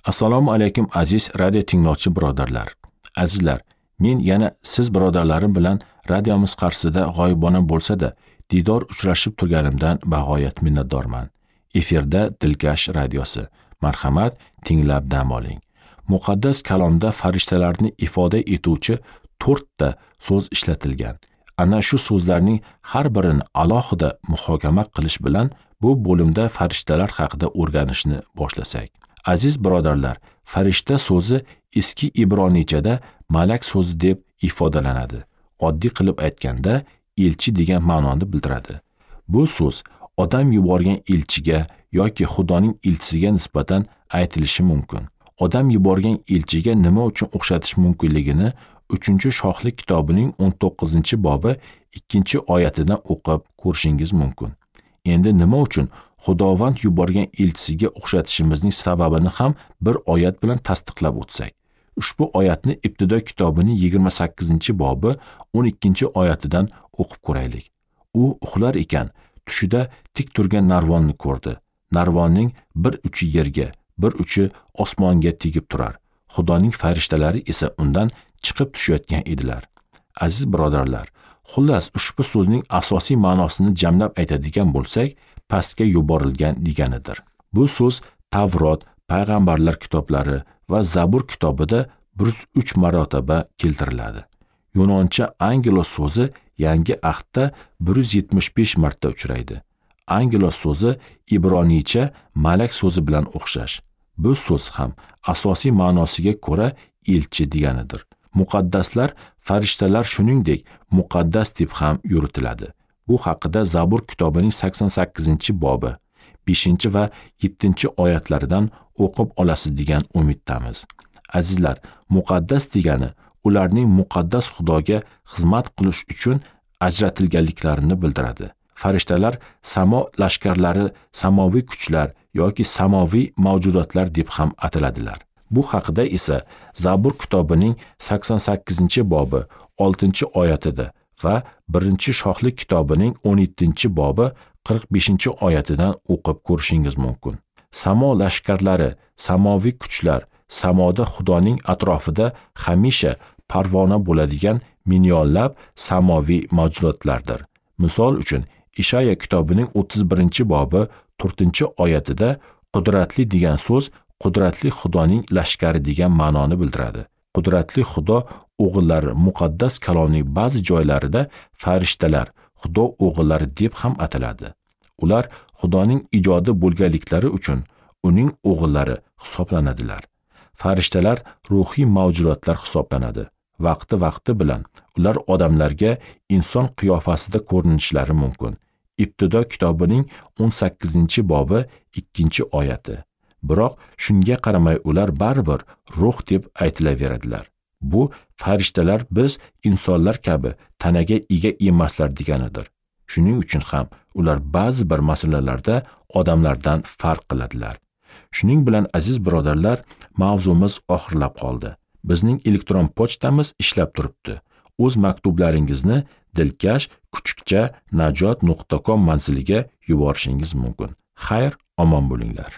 Assalomu alaykum aziz radio tinglovchi birodarlar. Azizlar, men yana siz birodarlarim bilan radiomiz qarshisida g'oyibona bo'lsa-da, diydor uchrashib turganimdan bag'oyat minnatdorman. Efirda Dilkash radiosi. Marhamat, tinglab dam oling. Muqaddas kalomda farishtalarni ifoda etuvchi 4 ta so'z ishlatilgan. Ana shu so'zlarning har birini alohida muhokama qilish bilan bu bo'limda farishtalar haqida o'rganishni boshlasak. Aziz birodarlar, farishta so'zi eski ibroniychada malak so'zi deb ifodalanadi. Oddiy qilib aytganda, elchi degan ma'noni bildiradi. Bu so'z odam yuborgan elchiga yoki Xudoning elchisiga nisbatan aytilishi mumkin. Odam yuborgan elchiga nima uchun o'xshatish mumkinligini 3-shohlik kitobining 19-bobi 2-oyatidan o'qib ko'rishingiz mumkin. Endi nima uchun Xudovand yuborgan elchisiga o'xshatishimizning sababini ham bir oyat bilan tasdiqlab o'tsak. Ushbu oyatni Ibtido kitobining 28-bobi 12-oyatidan o'qib ko'raylik. U uxlar ekan, tushida tik turgan narvonni ko'rdi. Narvonning bir uchi yerga, bir uchi osmonga tegib turar. Xudoning farishtalari esa undan chiqib tushayotgan edilar. Aziz birodarlar, xullas ushbu so'zning asosiy ma'nosini jamlab aytadigan bo'lsak, pastga yuborilgan deganidir. Bu so'z Tavrot, payg'ambarlar kitoblari va Zabur kitobida 103 marotaba keltiriladi. Yunoncha angelos so'zi Yangi Ahdda 175 marta uchraydi. Angelos so'zi ibroniycha malak so'zi bilan o'xshash. Bu so'z ham asosiy ma'nosiga ko'ra elchi deganidir. Muqaddaslar, farishtalar shuningdek muqaddas deb ham yuritiladi. Bu haqida Zabur kitobining 88-bobi 5 va 7-oyatlaridan o'qib olasiz degan umiddamiz. Azizlar, muqaddas degani ularning muqaddas Xudoga xizmat qilish uchun ajratilganliklarini bildiradi. Farishtalar samo lashkarlari, samoviy kuchlar yoki samoviy mavjudotlar deb ham ataladilar. Bu haqida esa Zabur kitobining 88-bobi 6-oyatida va 1-shohlik kitobining 17-bobi 45-oyatidan o'qib ko'rishingiz mumkin. Samo lashkarlari, samoviy kuchlar, samoda Xudoning atrofida hamisha parvona bo'ladigan millionlab samoviy mavjudotlardir. Misol uchun, Ishaya kitobining 31-bobi 4-oyatida qudratli degan so'z qudratli Xudoning lashkari degan ma'noni bildiradi. Qudratli Xudo o'g'illari muqaddas kalomning ba'zi joylarida farishtalar, Xudo o'g'illari deb ham ataladi. Ular Xudoning ijodi bo'lganliklari uchun uning o'g'illari hisoblanadilar. Farishtalar ruhiy mavjudotlar hisoblanadi. Vaqti-vaqti bilan ular odamlarga inson qiyofasida ko'rinishlari mumkin. Ibtido kitobining 18-bobi 2-oyati. Biroq shunga qaramay ular baribir ruh deb aytilaveradilar. Bu farishtalar biz insonlar kabi tanaga ega emaslar deganidir. Shuning uchun ham ular ba'zi bir masalalarda odamlardan farq qiladilar. Shuning bilan aziz birodarlar, mavzumiz oxirlab qoldi. Bizning elektron pochtamiz ishlab turibdi. O'z maktublaringizni dilkash@najot.com manziliga yuborishingiz mumkin. Xayr, omon bo'linglar.